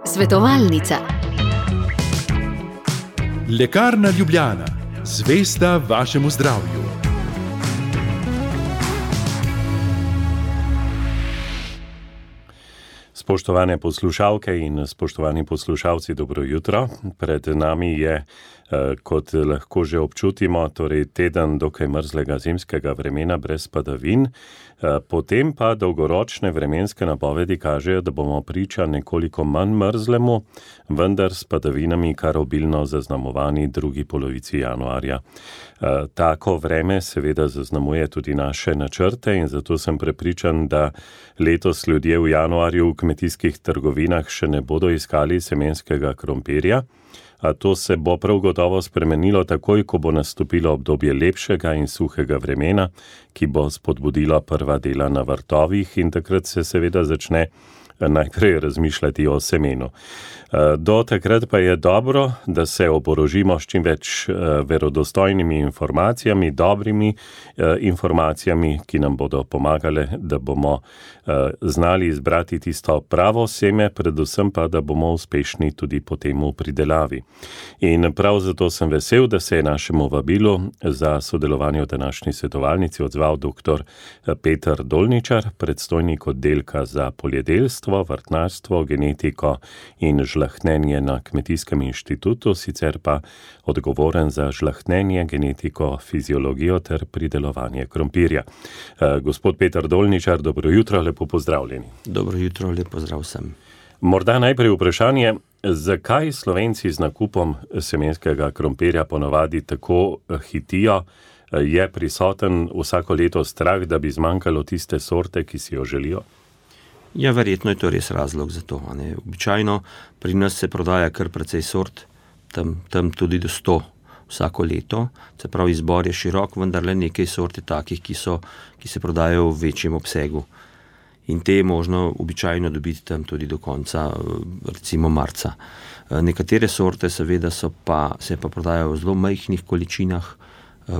Svetovalnica. Lekarna Ljubljana, zvesta vašemu zdravju. Spoštovane poslušalke in spoštovani poslušalci, dobro jutro. Pred nami je, kot lahko že občutimo, torej teden dokaj mrzlega zimskega vremena brez padavin, potem pa dolgoročne vremenske napovedi kažejo, da bomo priča nekoliko manj mrzlemu, vendar s padavinami kar obilno zaznamovani drugi polovici januarja. Tako vreme seveda zaznamuje tudi naše načrte in zato sem prepričan, da letos ljudje v januarju v kmetijskih trgovinah še ne bodo iskali semenskega krompirja. A to se bo prav gotovo spremenilo takoj, ko bo nastopilo obdobje lepšega in suhega vremena, ki bo spodbudilo prva dela na vrtovih in takrat se seveda začne najprej razmišljati o semenu. Do takrat pa je dobro, da se oborožimo s čim več verodostojnimi informacijami, dobrimi informacijami, ki nam bodo pomagale, da bomo znali izbrati tisto pravo seme, predvsem pa, da bomo uspešni tudi potem v pridelavi. In prav zato sem vesel, da se je našemu vabilu za sodelovanje v današnji svetovalnici odzval dr. Peter Dolničar, predstojnik oddelka za poljedelstvo, vrtnarstvo, genetiko in žlahtnenje na Kmetijskem inštitutu, sicer pa odgovoren za žlahtnenje, genetiko, fiziologijo ter pridelovanje krompirja. Gospod Peter Dolničar, dobro jutro, lepo pozdravljeni. Dobro jutro, lep pozdrav vsem. Morda najprej vprašanje, zakaj Slovenci z nakupom semenskega krompirja ponavadi tako hitijo? Je prisoten vsako leto strah, da bi zmanjkalo tiste sorte, ki si jo želijo? Ja, verjetno je to res razlog za to. Običajno pri nas se prodaja kar precej sort, tam tudi do 100 vsako leto. Se pravi, izbor je širok, vendar le nekaj sort je takih, ki se prodajajo v večjem obsegu. In te je možno običajno dobiti tam tudi do konca, recimo marca. Nekatere sorte seveda se pa prodajajo v zelo majhnih količinah,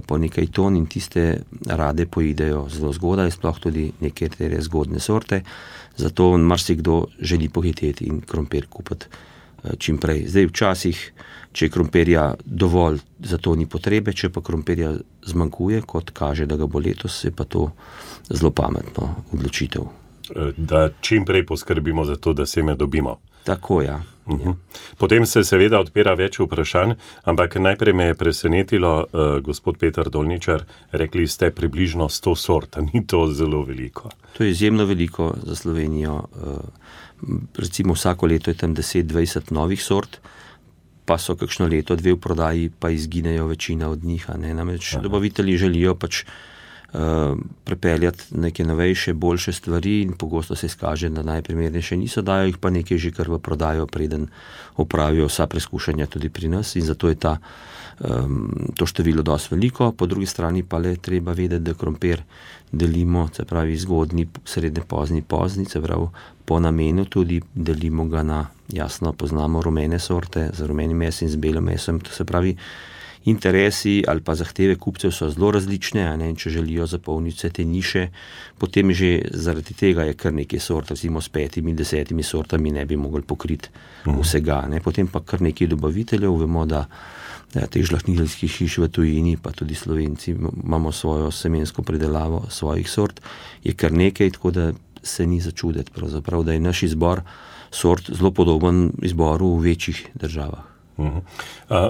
po nekaj ton, in tiste rade pojidejo zelo zgodaj, sploh tudi nekatere zgodne sorte. Zato marsikdo želi pohiteti in krompir kupiti čim prej. Zdaj včasih, če je krompirja dovolj, za to ni potrebe, če pa krompirja zmanjkuje, kot kaže, da ga bo letos, je pa to zelo pametno odločitev. Da čim prej poskrbimo za to, da seme dobimo. Tako, ja. Potem se seveda odpira več vprašanj, ampak najprej me je presenetilo, gospod Peter Dolničar, rekli ste približno 100 sort, ni to zelo veliko? To je izjemno veliko za Slovenijo. Recimo vsako leto je tam 10-20 novih sort, pa so kakšno leto, 2 v prodaji, pa izginejo večina od njih. Namreč dobavitelji želijo pač prepeljati neke novejše, boljše stvari in pogosto se izkaže, da najprimernejše niso, dajo jih pa nekaj že kar v prodajo, preden opravijo vsa preskušanja tudi pri nas, in zato je to število dosti veliko. Po drugi strani pa le treba vedeti, da krompir delimo, se pravi zgodnji, srednje pozni, se pravi po namenu tudi delimo ga na, jasno poznamo rumene sorte z rumenim mesom in z belim mesom, to se pravi interesi ali pa zahteve kupcev so zelo različne, in če želijo zapolniti vse te niše, potem že zaradi tega je kar nekaj sort, recimo s 5-10 sortami ne bi mogli pokriti vsega. Potem pa kar nekaj dobaviteljev, vemo, da teh žlahtniteljskih hiš v tujini, pa tudi Slovenci imamo svojo semensko pridelavo svojih sort, je kar nekaj, tako da se ni začuditi pravzaprav, da je naš izbor sort zelo podoben izboru v večjih državah.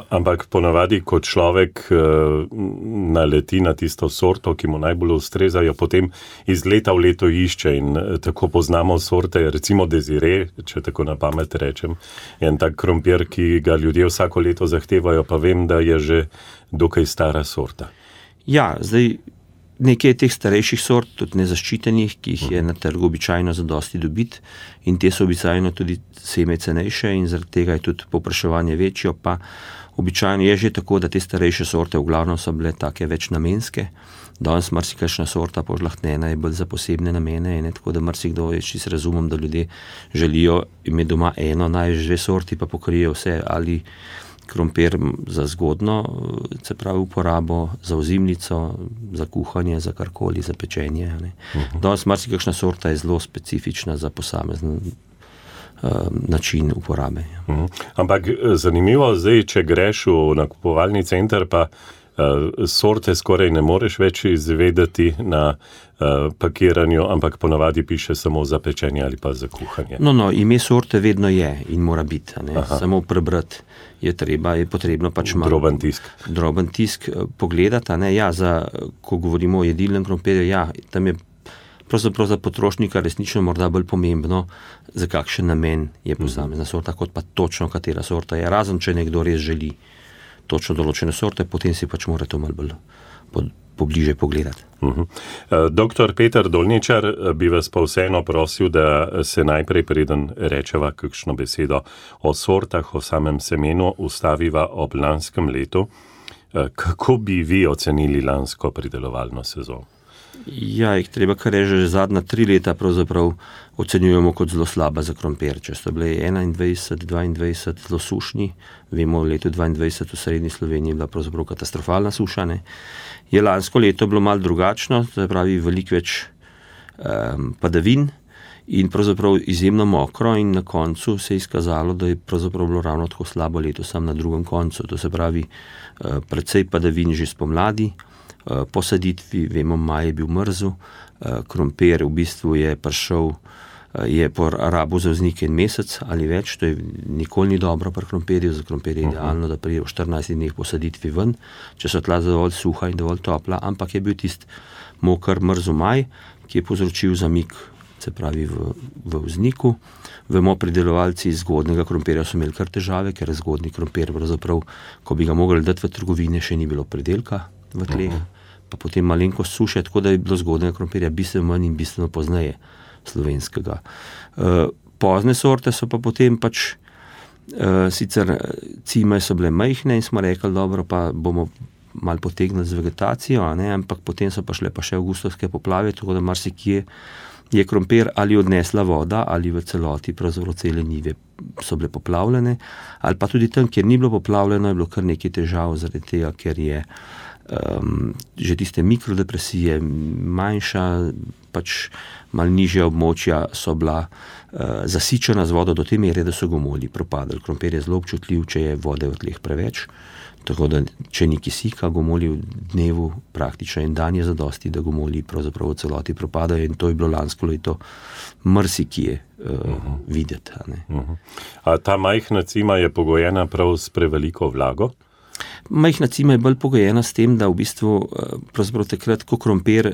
Ampak ponavadi, ko človek naleti na tisto sorto, ki mu najbolj ustrezajo, potem iz leta v leto išče in tako poznamo sorte, recimo Desire, če tako na pamet rečem, en tak krompir, ki ga ljudje vsako leto zahtevajo, pa vem, da je že dokaj stara sorta. Ja, zdaj nekaj teh starejših sort, tudi nezaščitenih, ki jih je na trgu običajno zadosti dobiti, in te so običajno tudi seme cenejše in zaradi tega je tudi povpraševanje večjo, pa običajno je že tako, da te starejše sorte v glavnem so bile take več namenske. Danes marsikakšna sorta požlahtnjena je bolj za posebne namene, tako da marsikdo, čisto razumem, da ljudje želijo imeti doma eno, največ 2 sorti, pa pokrijejo vse, ali krompir za zgodno, se pravi uporabo, za ozimnico, za kuhanje, za karkoli, za pečenje. Danes marsikakšna sorta je zelo specifična za posamezen način uporabe. Ampak zanimivo, zdaj, če greš v nakupovalni center, pa sorte skoraj ne moreš več izvedeti na pakiranju, ampak ponavadi piše samo za pečenje ali pa za kuhanje. No, ime sorte vedno je in mora biti. Samo prebrati je potrebno pač malo. Droben tisk pogledati. Ko govorimo o jedilnem krompirju, tam je pravzaprav za potrošnika resnično morda bolj pomembno, za kakšen namen je posamezna sorta, kot pa točno katera sorta je. Razen, če nekdo res želi točno določene sorte, potem si pač mora to malo bolj pobliže pogledati. Doktor Peter Dolničar, bi vas pa vseeno prosil, da se najprej, preden rečeva kakšno besedo o sortah, o samem semenu, ustaviva ob lanskem letu. Kako bi vi ocenili lansko pridelovalno sezono? Jih treba kar reči, že zadnja 3 leta pravzaprav ocenjujemo kot zelo slaba za krompir. Če so bile 21-22 zelo sušni, vemo, v letu 22 v srednji Sloveniji je bila pravzaprav katastrofalna suša. Je lansko leto bilo malo drugačno, se pravi veliko več padavin in pravzaprav izjemno mokro, in na koncu se je izkazalo, da je pravzaprav bilo ravno tako slabo leto sam na drugem koncu. To se pravi precej padavin že spomladi. Po saditvi, vemo, maj je bil mrzel, krompir v bistvu je prišel, je porabil za vznik 1 mesec ali več, to je nikoli ni dobro pri krompirju, za krompir je idealno, da pride v 14 dneh po saditvi ven, če so tla dovolj suha in dovolj topla, ampak je bil tist moker mrzel maj, ki je povzročil zamik, se pravi v vzniku. Vemo, pridelovalci zgodnega krompirja so imeli kar težave, ker zgodni krompir pravzaprav, ko bi ga mogli dati v trgovine, še ni bilo pridelka v tleh, pa potem malenkost suše, tako da je bilo zgodnega krompirja bistveno manj in bistveno pozneje slovenskega. Pozne sorte so pa potem pač, sicer cime so bile majhne in smo rekli, dobro, pa bomo malo potegnili z vegetacijo, ampak potem so pa šle pa še avgustovske poplave, tako da marsikje je krompir ali odnesla voda, ali v celoti, pravzaprav cele njive so bile poplavljene, ali pa tudi tam, kjer ni bilo poplavljeno, je bilo kar nekaj težav zaradi tega, ker je že tiste mikrodepresije manjša, pač malo nižja območja so bila zasičena z vodo do te mere, da so gomolji propadali. Krompir je zelo občutljiv, če je vode v tleh preveč, tako da če ni kisika, gomolji v dnevu praktično 1 dan je zadosti, da gomolji pravzaprav v celoti propadajo, in to je bilo lansko leto marsikje videti. A ta majhna cima je pogojena prav s preveliko vlago? Majhna cima je bolj pogojena s tem, da v bistvu pravzaprav takrat, ko krompir,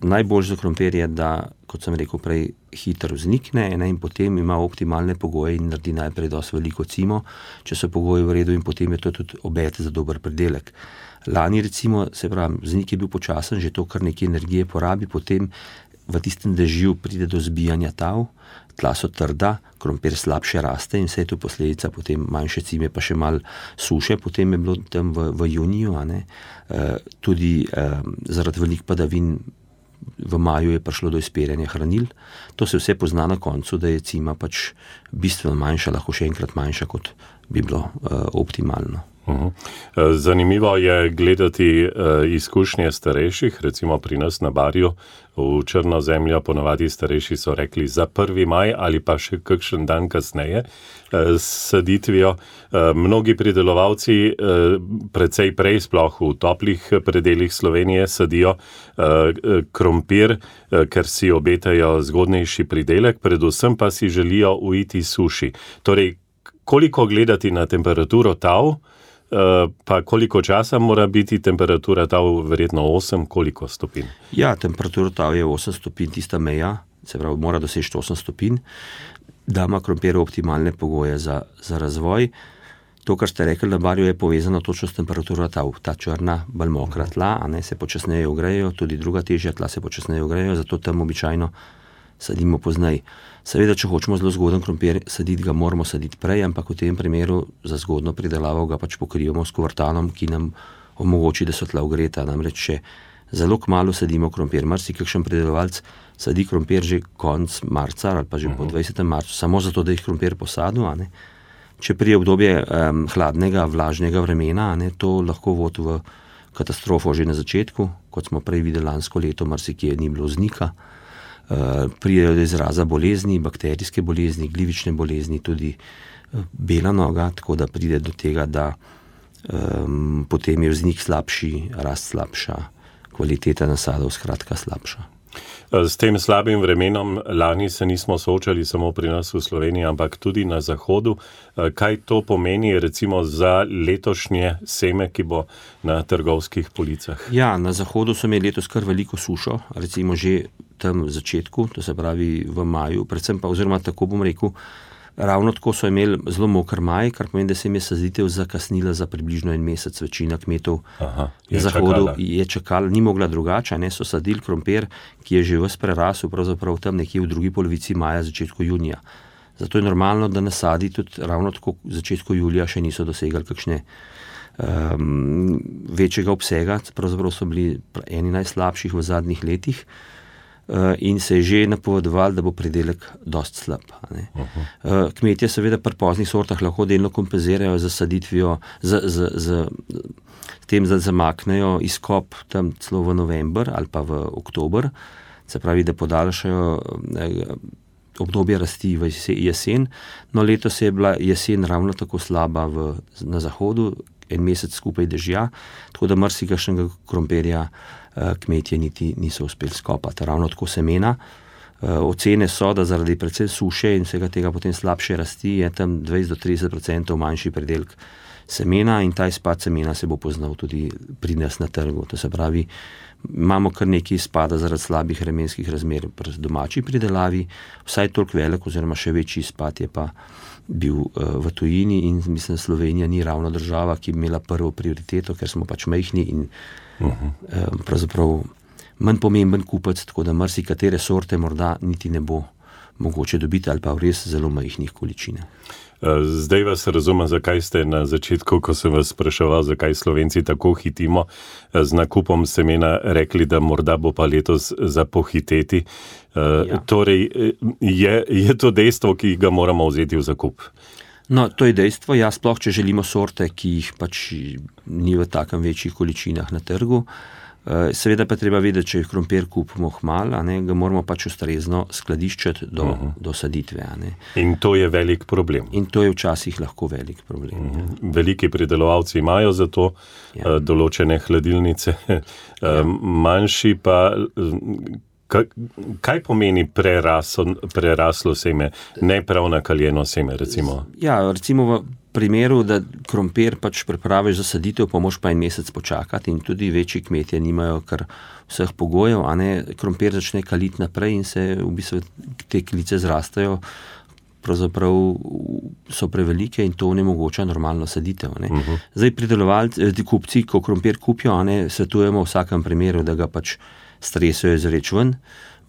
najbolj za krompir je, da, kot sem rekel prej, hitro vznikne, in potem ima optimalne pogoje in naredi najprej dosti veliko cimo, če so pogoji v redu, in potem je to tudi obet za dober pridelek. Lani recimo, se pravi, vznik je bil počasen, že to kar nekaj energije porabi, potem v tistem dežju pride do zbijanja tav, tla so trda, krompir slabše raste in vse je to posledica potem manjše cime, pa še malo suše, potem je bilo tam v juniju, tudi zaradi velik padavin v maju je prišlo do izpiranja hranil. To se vse pozna na koncu, da je cima pač bistveno manjša, lahko še enkrat manjša, kot bi bilo optimalno. Zanimivo je gledati izkušnje starejših, recimo pri nas na Barju v Črnozemljo, ponavadi starejši so rekli za 1. maj ali pa še kakšen dan kasneje s saditvijo. Mnogi pridelovalci precej prej, sploh v toplih predelih Slovenije, sadijo krompir, ker si obetajo zgodnejši pridelek, predvsem pa si želijo uiti suši. Torej, koliko gledati na temperaturo tav, pa koliko časa mora biti temperatura tav, verjetno 8, koliko stopinj? Ja, temperatura tav je 8 stopinj, tista meja, se pravi, mora doseči 8 stopinj, da ima krompir optimalne pogoje za razvoj. To, kar ste rekli, na Barju, je povezano točno s temperaturo tav. Ta črna, bolj mokra tla, se počasneje ogrejejo, tudi druga težja tla se počasneje ogrejejo, zato tam običajno sadimo pozneje. Seveda, če hočemo zelo zgoden krompir saditi, ga moramo saditi prej, ampak v tem primeru za zgodno pridelavo ga pač pokrivamo s kuvertanom, ki nam omogoči, da so tla ogreta. Namreč, če zelo kmalu sadimo krompir, marsikakšen pridelovalec sadi krompir že konec marca ali pa že po 20. marcu, samo zato, da jih krompir posadu, če prije obdobje hladnega, vlažnega vremena, to lahko vodi v katastrofo že na začetku, kot smo prej videli lansko leto, marsikje ni bilo vznika. Pridejo do izraza bolezni, bakterijske bolezni, glivične bolezni, tudi bela noga, tako da pride do tega, da potem je vznik slabši, rast slabša, kvaliteta nasadov skratka slabša. S tem slabim vremenom lani se nismo soočali samo pri nas v Sloveniji, ampak tudi na zahodu. Kaj to pomeni recimo za letošnje seme, ki bo na trgovskih policah? Ja, na zahodu so imeli letos kar veliko sušo, recimo že tam v začetku, to se pravi v maju, predvsem pa, oziroma tako bom rekel, ravno tako so imeli zelo moker maj, kar pomeni, da se jim je saditev zakasnila za približno 1 mesec. Večina kmetov na zahodu je čakala, ni mogla drugače, so sadili krompir, ki je že ves prerasel, pravzaprav tam nekje v drugi polovici maja, začetku junija. Zato je normalno, da nasadi tudi ravno tako v začetku julija še niso dosegali kakšne večjega obsega, pravzaprav so bili eni najslabših v zadnjih letih. In se je že napovedoval, da bo pridelek dosti slab. Kmetje seveda pri poznih sortah lahko delno kompenzirajo z saditvijo, z tem, da zamaknejo izkop tam celo v november ali pa v oktober, se pravi, da podaljšajo obdobje rasti v jesen. No, letos je bila jesen ravno tako slaba na zahodu, 1 mesec skupaj dežja, tako da marsikakšnega krompirja kmetje niti niso uspeli skopati. Ravno tako semena. Ocene so, da zaradi predvsem suše in vsega tega potem slabše rasti je tam 20-30% manjši pridelek semena in ta izpad semena se bo poznal tudi pri nas na trgu. To se pravi, imamo kar nekaj izpada zaradi slabih vremenskih razmer pri domači pridelavi, vsaj toliko velik oziroma še večji izpad je pa bil v tujini in mislim, Slovenija ni ravno država, ki bi imela prvo prioriteto, ker smo pač majhni in pravzaprav manj pomemben kupec, tako da marsikatere sorte morda niti ne bo mogoče dobiti ali pa v res zelo majhnih količinah. Zdaj vas razumem, zakaj ste na začetku, ko sem vas spraševal, zakaj Slovenci tako hitimo z nakupom semena, rekli, da morda bo pa letos za pohiteti. Torej, je to dejstvo, ki ga moramo vzeti v zakup? No, to je dejstvo, ja, sploh če želimo sorte, ki jih pač ni v takem večjih količinah na trgu. Seveda pa treba vedeti, če krompir kupimo hmal, ga moramo pač ustrezno skladiščiti do saditve. In to je velik problem. In to je včasih lahko velik problem. Veliki pridelovalci imajo za to določene hladilnice, manjši pa... Kaj pomeni preraslo seme, ne prav nakaljeno seme, recimo? Ja, recimo v primeru, da krompir pač pripraviš za saditev, pa moš pa 1 mesec počakati in tudi večji kmetje nimajo kar vseh pogojev, krompir začne kaliti naprej in se v bistvu te klice zrastajo, pravzaprav so prevelike in to onemogoča normalno saditev. Zdaj pridelovalci, kupci, ko krompir kupijo, svetujemo v vsakem primeru, da ga pač stresajo izreč ven,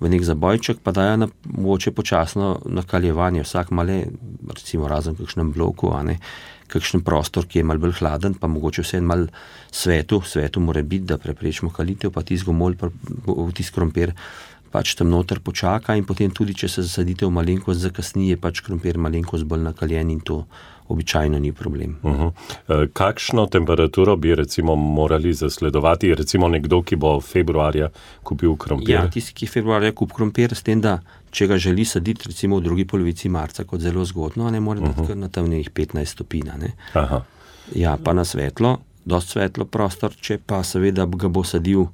v nek zabojček, pa dajo na mogoče počasno nakaljevanje, vsak male, recimo razen v kakšnem bloku, kakšen prostor, ki je malo bolj hladen, pa mogoče vse malo svetu mora biti, da preprečimo kalitev, pa tisti gomolj, tisti krompir pač tam noter počaka in potem tudi, če se zasaditev malenkost zakasni, je pač krompir malenkost bolj nakaljen in to običajno ni problem. Kakšno temperaturo bi recimo morali zasledovati, recimo nekdo, ki bo februarja kupil krompir? Ja, tisti, ki februarja kupi krompir, s tem, da če ga želi saditi recimo v drugi polovici marca, kot zelo zgodno, mora biti kar na tam nekih 15 stopinj. Ja, pa na svetlo, dosti svetlo prostor, če pa seveda ga bo sadil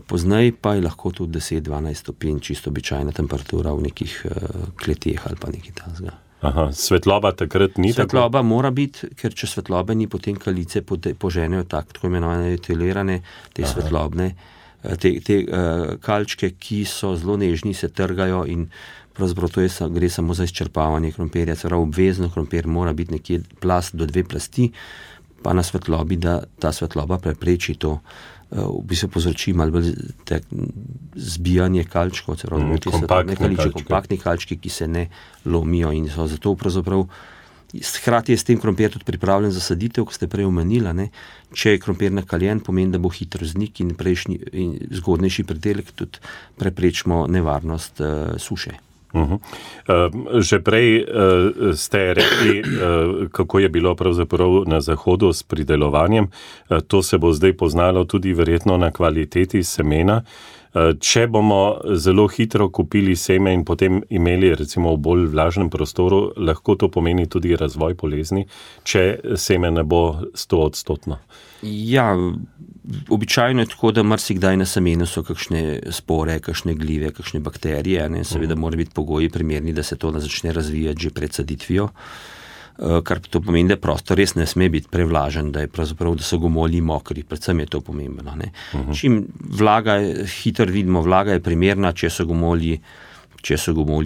pozneje, pa je lahko tudi 10-12 stopinj, čisto običajna temperatura v nekih kleteh ali pa nekaj tazga. Svetloba takrat ni tako? Svetloba mora biti, ker če svetlobe ni, potem kalice poženejo tako imenovane etilirane, te svetlobne, te kalčke, ki so zelo nežni, se trgajo in pravzaprav to gre samo za izčrpavanje krompirja. Obvezno krompir mora biti nekje plast do 2 plasti, pa na svetlobi, da ta svetloba prepreči to, v bistvu povzroči malo bolj zbijanje kalčkov, kompaktni kalčki, ki se ne lomijo in so zato pravzaprav hkrati je s tem krompir tudi pripravljen za saditev, ko ste prej omenili, če je krompir nakaljen, pomeni, da bo hitro vznik in zgodnejši pridelek tudi preprečimo nevarnost suše. Že prej ste rekli, kako je bilo pravzaprav na zahodu s pridelovanjem. To se bo zdaj poznalo tudi verjetno na kvaliteti semena. Če bomo zelo hitro kupili seme in potem imeli recimo v bolj vlažnem prostoru, lahko to pomeni tudi razvoj bolezni, če seme ne bo 100%. Ja, običajno je tako, da marsikdaj na semenu so kakšne spore, kakšne glive, kakšne bakterije, ne? Seveda mora biti pogoji primerni, da se to začne razvijati že pred saditvijo. Kar to pomeni, da prostor res ne sme biti prevlažen, da so gomolji mokri, predvsem je to pomembno. Ne? Čim vlaga, hitro vidimo, vlaga je primerna, če so gomolji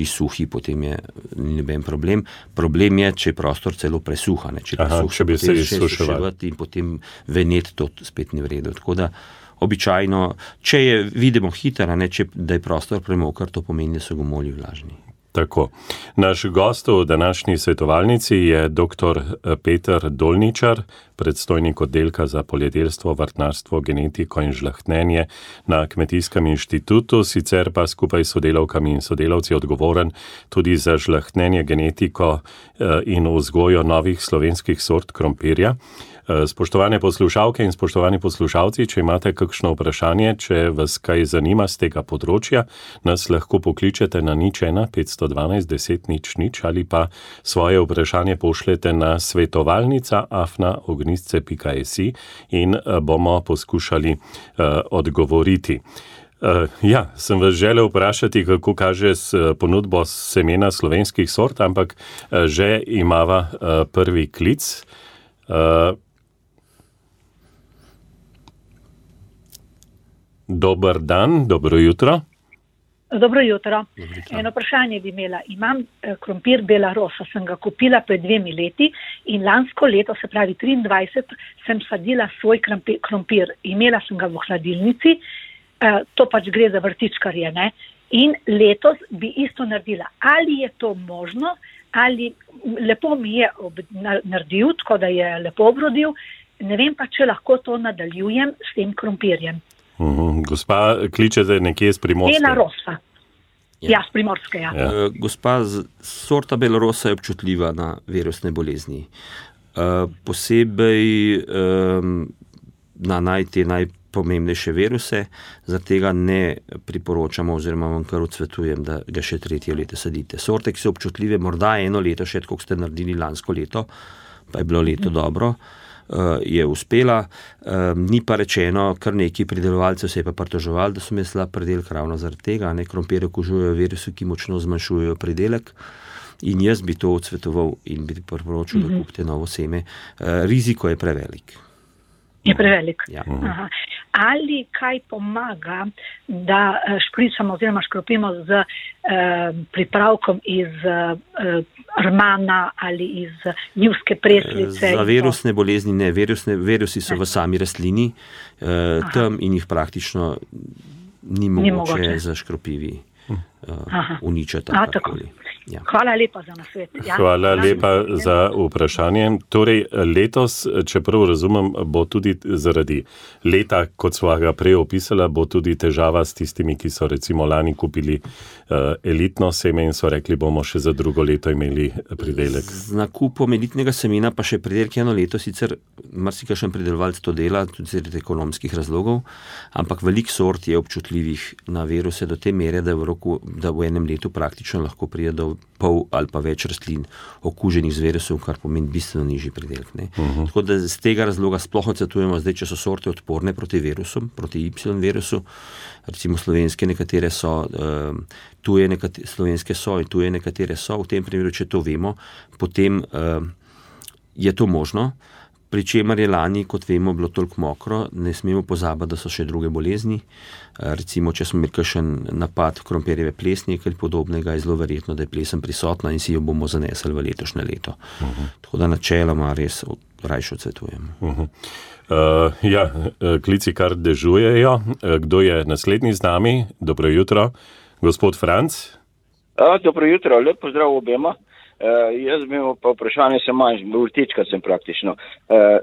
suhi, potem je noben problem. Problem je, če je prostor celo presuha, ne? Če bi se izsuševati in potem venet, to spet ni v redu. Tako da običajno, če vidimo hitro, da je prostor premokar, to pomeni, da so gomolji vlažni. Tako. Naš gost v današnji svetovalnici je dr. Peter Dolničar, predstojnik oddelka za poljedelstvo, vrtnarstvo, genetiko in žlahtnenje na Kmetijskem inštitutu, sicer pa skupaj s sodelavkami in sodelavci odgovoren tudi za žlahtnenje, genetiko in vzgojo novih slovenskih sort krompirja. Spoštovane poslušalke in spoštovani poslušalci, če imate kakšno vprašanje, če vas kaj zanima z tega področja, nas lahko pokličete na 01 512 10 00 ali pa svoje vprašanje pošljete na svetovalnica@ognisce.si in bomo poskušali odgovoriti. Ja, sem vas želel vprašati, kako kaže s ponudbo semena slovenskih sort, ampak že imava prvi klic. Dober dan, dobro jutro. Dobro jutro. Eno vprašanje bi imela. Imam krompir Belarosa, sem ga kupila pred 2 leti in lansko leto, se pravi 23, sem sadila svoj krompir. Imela sem ga v hladilnici, to pač gre za vrtičkarje, ne? In letos bi isto naredila. Ali je to možno, ali lepo mi je naredil, tako da je lepo obrodil, ne vem pa, če lahko to nadaljujem s tem krompirjem. Gospa, kličete nekje z Primorske? Belarosa. Ja, z Primorske, ja. Gospa, sorta Belarosa je občutljiva na virusne bolezni. Posebej na najpomembnejše viruse, zaradi tega ne priporočamo oziroma vam kar odsvetujem, da ga še 3. leto sadite. Sorte, ki so občutljive, morda 1 leto še, kot ste naredili lansko leto, pa je bilo leto dobro, je uspela. Ni pa rečeno, kar neki pridelovalcev se je pa pritoževali, da so imeli slab pridelek ravno zaradi tega. Krompirje okužujejo virusi, ki močno zmanjšujejo pridelek. In jaz bi to odsvetoval in bi priporočil, da kupite novo seme. Riziko je prevelik. Je prevelik. Ja. Aha. Ali kaj pomaga, da špricamo oziroma škropimo z pripravkom iz rmana ali iz njivske preslice? Za virusne bolezni ne. Virusi so v sami rastlini, tam in jih praktično ni mogoče za škropivi uničati. Ja. Hvala lepa za nasvet. Ja. Hvala lepa za vprašanje. Torej, letos, čeprav razumem, bo tudi zaradi leta, kot sva ga prej opisala, bo tudi težava s tistimi, ki so recimo lani kupili elitno seme in so rekli, bomo še za drugo leto imeli pridelek. Z nakupom elitnega semena pa še pridelek 1 leto, sicer marsikakšen pridelovalec to dela, tudi zaradi ekonomskih razlogov, ampak veliko sort je občutljivih na viruse do te mere, da v enem letu praktično lahko pride do pol ali pa več rastlin okuženih z virusom, kar pomeni bistveno nižji pridelek. Tako da z tega razloga sploh odsvetujemo zdaj, če so sorte odporne proti virusom, proti Y virusu, recimo slovenske nekatere so, slovenske so in tuje nekatere so, v tem primeru, če to vemo, potem je to možno. Pri čemer je lani, kot vemo, bilo toliko mokro, ne smemo pozabiti, da so še druge bolezni. Recimo, če smo imeli kakšen napad krompirjeve plesni, kaj podobnega, je zelo verjetno, da je plesen prisotna in si jo bomo zanesli v letošnje leto. Tako da načeloma res rajše odsvetujemo. Ja, klici kar dežujejo. Kdo je naslednji z nami? Dobro jutro. Gospod Franc? Dobro jutro, lep pozdrav obema. Jaz bi imel pa vprašanje, sem manj, vrtička sem praktično.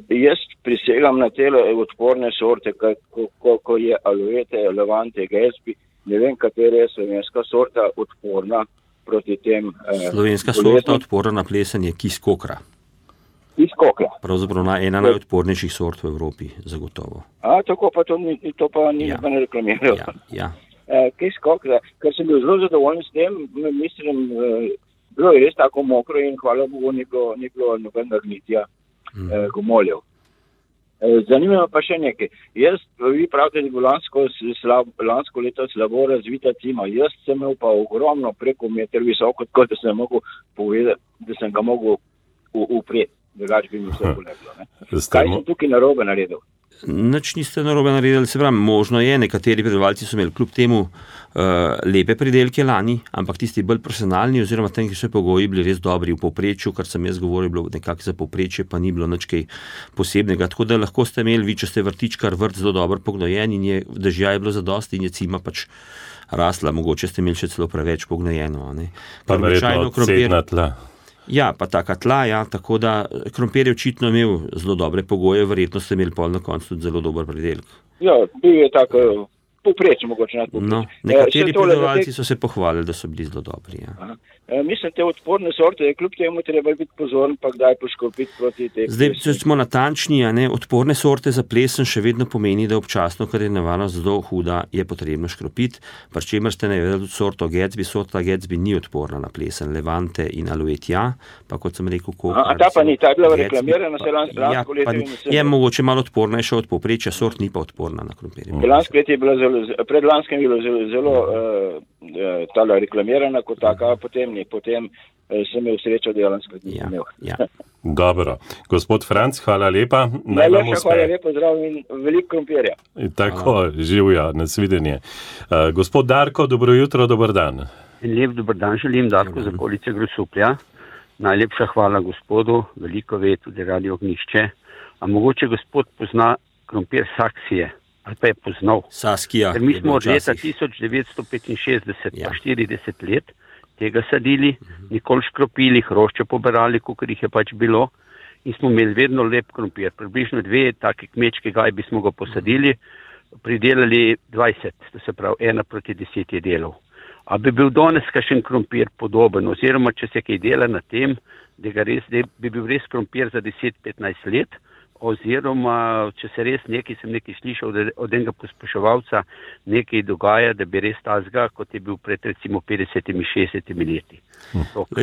Jaz prisegam na tele odporne sorte, ko je aloete, levante, gesbi, ne vem, katere je slovenska sorta odporna proti tem Slovenska sorta odporna na plesen je kis kokra. Kis kokra. Pravzaprav ena najodpornejših sort v Evropi, zagotovo. Tako pa to pa ni ne reklamirajo. Ja. Kis kokra, ker sem bil zelo zadovoljen s tem, mislim, bilo je res tako mokro in hvala Bogu ni bilo nobenega gnitja gomoljev. Zanima pa še nekaj. Vi pravite, da je bilo lansko leto slabo razvita cima. Jaz sem imel pa ogromno preko meter visoko, tako da sem mogel povedati, da sem ga mogel upreti. Drugače bi mi vse poleglo. Kaj sem tukaj narobe naredil? Nič niste narobe naredili, se pravi, možno je, nekateri pridelovalci so imeli kljub temu lepe pridelke lani, ampak tisti bolj profesionalni oziroma tem, ki so pogoji bili res dobri v povprečju, kar sem jaz govoril, bilo nekako za povprečje, pa ni bilo nič kaj posebnega. Tako da lahko ste imeli, vi, če ste vrtičkar, vrt zelo dobro pognojen in dežja je bilo zadosti in je cima pač rasla, mogoče ste imeli še celo preveč pognojeno. Pa verjetno odsedna tla. Ja, pa taka tla, tako da krompir je očitno imel zelo dobre pogoje, verjetno ste imeli pol na koncu tudi zelo dober pridelek. Ja, bil je tako povprečje mogoče nad povprečje. No, nekateri pridelovalci so se pohvalili, da so bili zelo dobri. Ja. Mislim, te odporne sorte je kljub temu treba biti pozoren, pa kdaj poškropiti proti tej. Zdaj, če smo natančni, odporne sorte za plesen še vedno pomeni, da občasno, ker je nevarnost zelo huda, je potrebno škropiti, pri čemer ste navedli sorto Gatsby. Sorta Gatsby ni odporna na plesen, Levante in Alouette, pa kot sem rekel, kokar. Ta pa ni, ta je bila reklamirana se lansko leto. Je mogoče malo odpornejša od povprečja, sort ni pa odporna na krompir. Lansko leto je bila predlanskem je bilo zelo tala reklamirana kot taka, potem sem imel srečo, da je lansko leto nisem imel. Ja. Dobro. Gospod Franc, hvala lepa. Hvala lepa, zdrav in veliko krompirja. Tako, živja, nasvidenje. Gospod Darko, dobro jutro, dober dan. Lep dober dan želim, Darko z okolice Grosuplja. Najlepša hvala gospodu, veliko ve tudi Radio Ognjišče. A mogoče gospod pozna krompir Saksije, ali pa je poznal. Saskija. Ker mi smo od leta 1965 pa 40 let tega sadili, nikoli škropili, hrošče poberali, kolikor jih je pač bilo, in smo imeli vedno lep krompir. Približno 2 take kmečke gajbi smo ga posadili, pridelali 20, to se pravi 1:10 je delal. A bi bil danes kakšen krompir podoben, oziroma če se kaj dela na tem, da bi bil res krompir za 10-15 let, oziroma če se res sem nekaj slišal od enega pospeševalca, nekaj dogaja, da bi res tazga, kot je bil pred recimo 50-60 leti.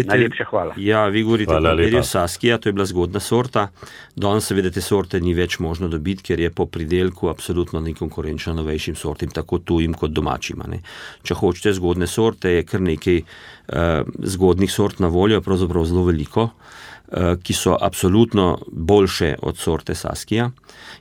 Najlepša hvala. Ja, vi govorite o krompirju Saskija, to je bila zgodna sorta. Danes seveda te sorte ni več možno dobiti, ker je po pridelku absolutno nekonkurenčna novejšim sortim, tako tujim kot domačim. Če hočete zgodne sorte, je kar nekaj zgodnih sort na voljo, pravzaprav zelo veliko, ki so absolutno boljše od sorte Saskija.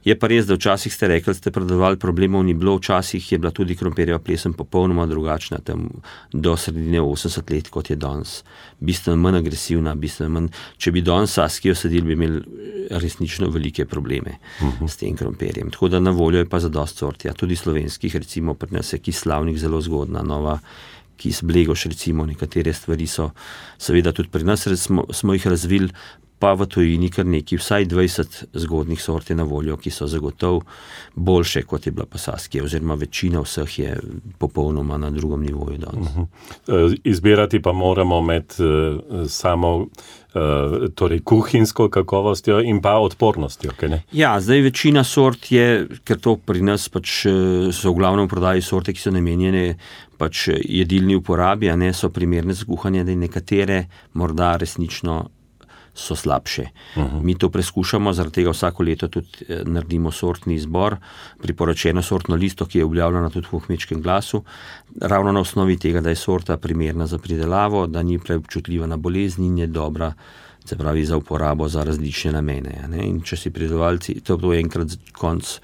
Je pa res, da včasih ste rekli, ste predavali, problemov ni bilo, včasih je bila tudi krompirjeva plesen popolnoma drugačna, tam do sredine 80 let, kot je danes. Bistveno manj agresivna, bistveno manj. Če bi danes Saskijo sadili, bi imeli resnično velike probleme s tem krompirjem. Tako da na voljo je pa zadosti sort. Ja, tudi slovenskih, recimo pri nas je Kis Slavnik zelo zgodna, nova Kis Blegoš, recimo, nekatere stvari so, seveda tudi pri nas smo jih razvili, pa v tujini kar nekaj, vsaj 20 zgodnih sort je na voljo, ki so zagotovo boljše, kot je bila pa Saskija, oziroma večina vseh je popolnoma na drugem nivoju danes. Izbirati pa moramo med samo torej kuhinjsko kakovostjo in pa odpornostjo, kaj ne? Ja, zdaj večina sort je, ker to pri nas pač so v glavnem prodaji sorte, ki so namenjene pač jedilni uporabi, a ne so primerne za kuhanje, da nekatere morda resnično so slabše. Mi to preskušamo, zaradi tega vsako leto tudi naredimo sortni izbor, priporočeno sortno listo, ki je objavljena tudi v Kmečkem glasu, ravno na osnovi tega, da je sorta primerna za pridelavo, da ni preobčutljiva na bolezni in je dobra, se pravi, za uporabo za različne namene. In če si pridelovalci, to je enkrat konc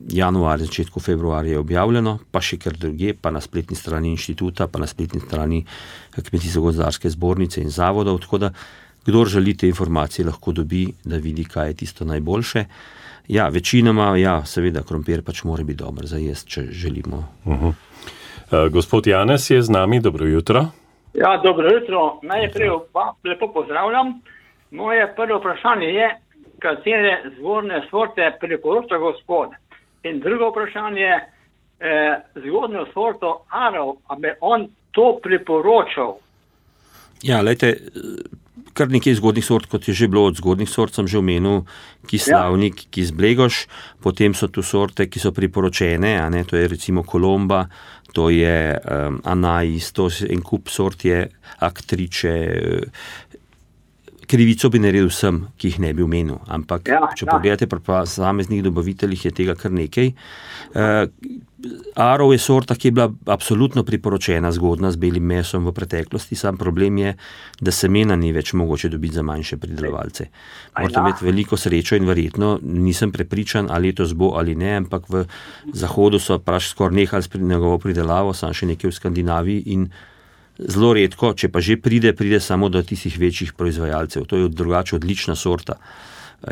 januarja, začetku februarja je objavljeno, pa še kar druge, pa na spletni strani inštituta, pa na spletni strani Kmetijsko-gozdarske zbornice in zavodov, tako da kdor želi te informacije, lahko dobi, da vidi, kaj je tisto najboljše. Ja, večinoma, seveda, krompir pač mora biti dober za jesti, če želimo. Gospod Janez je z nami, dobro jutro. Ja, dobro jutro, najprej pa lepo pozdravljam. Moje prvo vprašanje je, katere zgodne sorte priporoča gospod. In drugo vprašanje, zgodno sorto Arov, a bi on to priporočal? Ja, lejte, kar nekaj zgodnih sort, kot je že bilo od zgodnih sort, sem že omenil, Kislavnik, Kisblegoš, potem so tu sorte, ki so priporočene, a ne, to je recimo Kolomba, to je Anais, to je en kup sort je Aktriče, krivico bi naredil vsem, ki jih ne bi omenil, ampak če pogledate pri posameznih dobaviteljih, je tega kar nekaj. Arov je sorta, ki je bila absolutno priporočena zgodna z belim mesom v preteklosti, sam problem je, da semena ni več mogoče dobiti za manjše pridelovalce. Morate imeti veliko srečo in verjetno nisem prepričan, ali letos bo ali ne, ampak v Zahodu so skoraj nehali s njegovo pridelavo, sam še nekaj v Skandinaviji in zelo redko, če pa že pride samo do tistih večjih proizvajalcev. To je drugače odlična sorta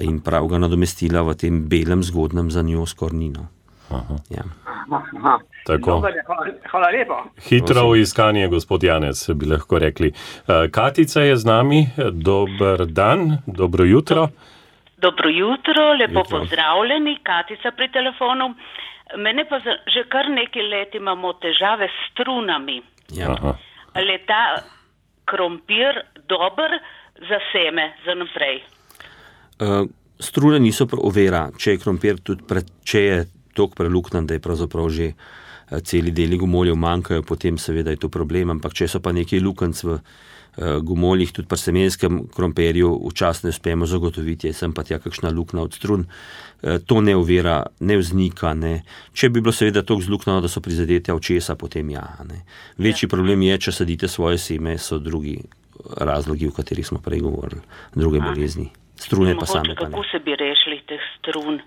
in prav ga nadomestila v tem belem zgodnem za njo skornino. Ja. Tako. Hvala lepa. Hitro v iskanje, gospod Janez, bi lahko rekli. Katica je z nami. Dober dan, dobro jutro. Dobro jutro, lepo pozdravljeni. Katica pri telefonu. Mene pa že kar nekaj let imamo težave s strunami. Ja. Ali je ta krompir dober za seme, za naprej? Strune niso ovira, če je krompir če je toliko preluknan, da je pravzaprav že celi deli gomoljev manjkajo, potem seveda je to problem, ampak če so pa nekaj lukenc v gomoljih, tudi pri semenskem krompirju včasih ne uspemo zagotoviti, je sem pa tja kakšna lukna od strun, to ne ovira, ne vznika, ne. Če bi bilo seveda toliko zluknano, da so prizadete očesa, potem ja. Ne. Večji problem je, če sadite svoje seme, so drugi razlogi, o katerih smo prej govorili, druge bolezni. Strune pa same pa ne. Kako se bi rešili teh strun?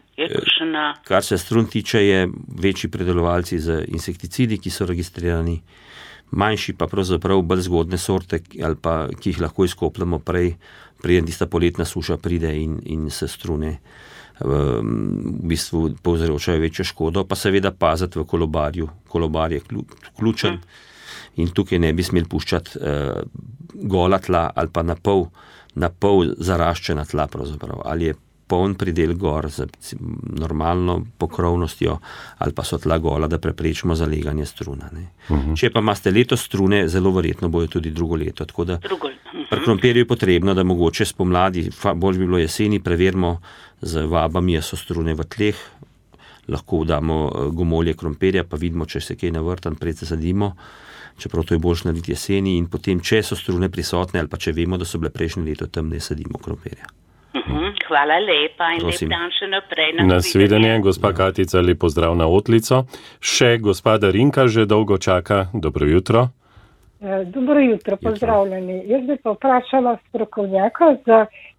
Kar se strun tiče, je večji predelovalci z insekticidi, ki so registrirani, manjši pa pravzaprav bolj zgodne sorte, ali pa, ki jih lahko izkopljamo preden tista poletna suša pride in se strune v bistvu povzročajo večjo škodo, pa seveda paziti v kolobarju. Kolobar je ključen in tukaj ne bi smeli puščati gola tla ali pa na pol zaraščena tla pravzaprav. Ali je poln pridel gor z normalno pokrovnostjo ali pa so tla gola, da preprečimo zaleganje struna. Ne. Če pa imate letos strune, zelo verjetno bojo tudi drugo leto. Tako da pri krompirju je potrebno, da mogoče spomladi, bolj bi bilo jeseni, preverimo z vabami, so strune v tleh, lahko damo gomolje krompirja, pa vidimo, če se kaj navrtan, pred se sadimo, čeprav to je boljše narediti jeseni in potem, če so strune prisotne ali pa če vemo, da so bile prejšnje leto, tam ne sadimo krompirja. Hvala lepa in lep dan še naprej. Nasvidenje, gospa Katica, lep pozdrav na Otlico. Še gospa Darinka že dolgo čaka. Dobro jutro. Dobro jutro, pozdravljeni. Jaz bi pa vprašala strokovnjaka, za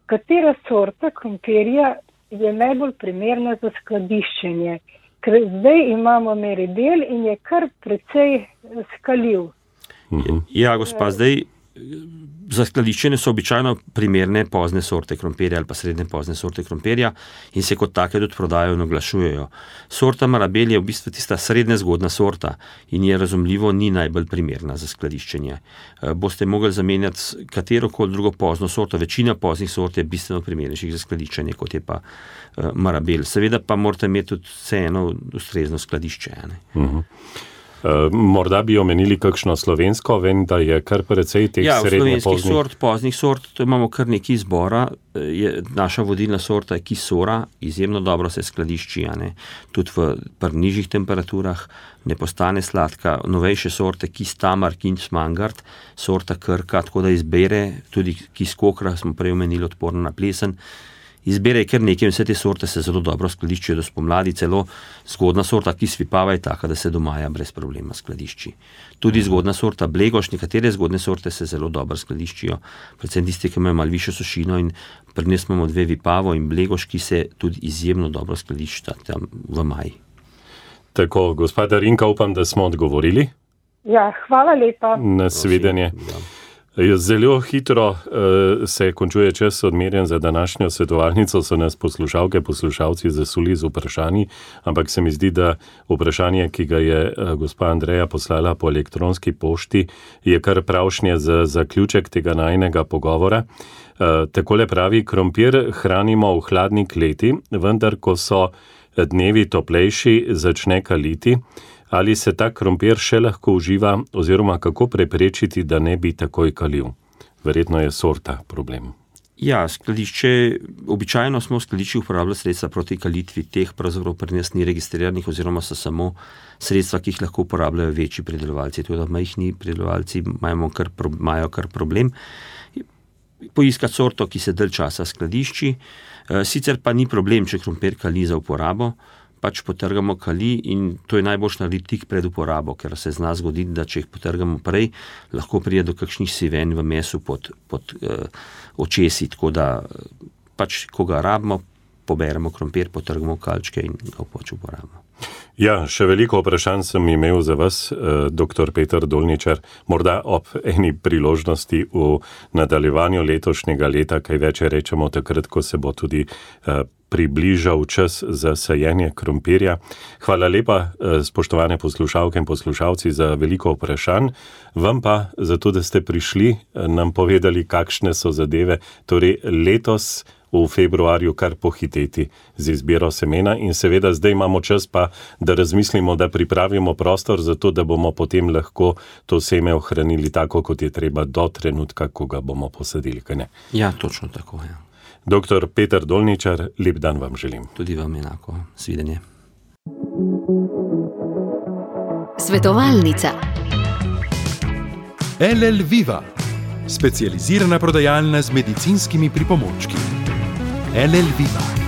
katera sorta krompirja je najbolj primerna za skladiščenje. Ker zdaj imamo Meribel in je kar precej skaljiv. Ja, gospa, zdaj za skladiščenje so običajno primerne pozne sorte krompirja ali pa srednje pozne sorte krompirja in se kot take tudi prodajajo in oglašujejo. Sorta Marabel je v bistvu tista srednje zgodna sorta in je razumljivo ni najbolj primerna za skladiščenje. Boste mogli zamenjati katerokoli drugo pozno sorto, večina poznih sort je bistveno primernejših za skladiščenje, kot je pa Marabel. Seveda pa morate imeti tudi vseeno ustrezno skladišče. Morda bi omenili kakšno slovensko, vem, da je kar precej teh srednje poznih sort, to imamo kar nekaj izbora, naša vodilna sorta je Kisora, izjemno dobro se skladišči, tudi pri nižjih temperaturah, ne postane sladka, novejše sorte Kistamar, Kinsmangard, sorta Krka, tako da izbere, tudi Kiskokra, smo prej omenili, odporno na plesen, izbere kar nekaj in vse te sorte se zelo dobro skladiščijo do spomladi, celo zgodna sorta Kisvipava je taka, da se do maja brez problema skladišči. Tudi zgodna sorta Blegoš, nekatere zgodne sorte se zelo dobro skladiščijo, predvsem tisti, ki imajo malo višjo sušino in pri nas imamo dve Vipavo in Blegoš, ki se tudi izjemno dobro skladiščita tam v maji. Tako, gospod Darinka, upam, da smo odgovorili. Ja, hvala lepa. Nasvidenje. Zelo hitro se končuje čas odmerjen za današnjo svetovalnico, so nas poslušalci zasuli z vprašanji, ampak se mi zdi, da vprašanje, ki ga je gospa Andreja poslala po elektronski pošti, je kar pravšnje za zaključek tega najinega pogovora. Takole pravi, krompir hranimo v hladni kleti, vendar ko so dnevi toplejši, začne kaliti. ali se ta krompir še lahko uživa oziroma kako preprečiti, da ne bi takoj kalil. Verjetno je sorta problem. Ja, skladišče, običajno smo v skladiščih uporabljali sredstva proti kalitvi, teh pravzaprav pri nas ni registriranih oziroma so samo sredstva, ki jih lahko uporabljajo večji pridelovalci. Tudi majhni pridelovalci imajo kar problem poiskati sorto, ki se dalj časa skladišči. Sicer pa ni problem, če krompir kali za uporabo, pač potrgamo kali in to je najboljš narediti tik pred uporabo, ker se zna zgoditi, da če jih potrgamo prej, lahko pride do kakšnih siven v mesu pod očesi, tako da pač, ko ga rabimo, poberemo krompir, potrgamo kalčke in ga pač uporabimo. Ja, še veliko vprašanj sem imel za vas, dr. Peter Dolničar, morda ob eni priložnosti v nadaljevanju letošnjega leta, kaj več rečemo takrat, ko se bo tudi približal čas za sajenje krompirja. Hvala lepa, spoštovane poslušalke in poslušalci, za veliko vprašanj. Vam pa za to, da ste prišli, nam povedali, kakšne so zadeve. Torej, letos v februarju kar pohiteti z izbiro semena in seveda zdaj imamo čas pa, da razmislimo, da pripravimo prostor za to, da bomo potem lahko to seme ohranili tako, kot je treba do trenutka, ko ga bomo posadili, kaj ne? Ja, točno tako, ja. Dr. Peter Dolničar, lep dan vam želim. Tudi vam enako. Svidenje. Svetovalnica. LL Viva, specializirana prodajalna z medicinskimi pripomočki. LL Viva.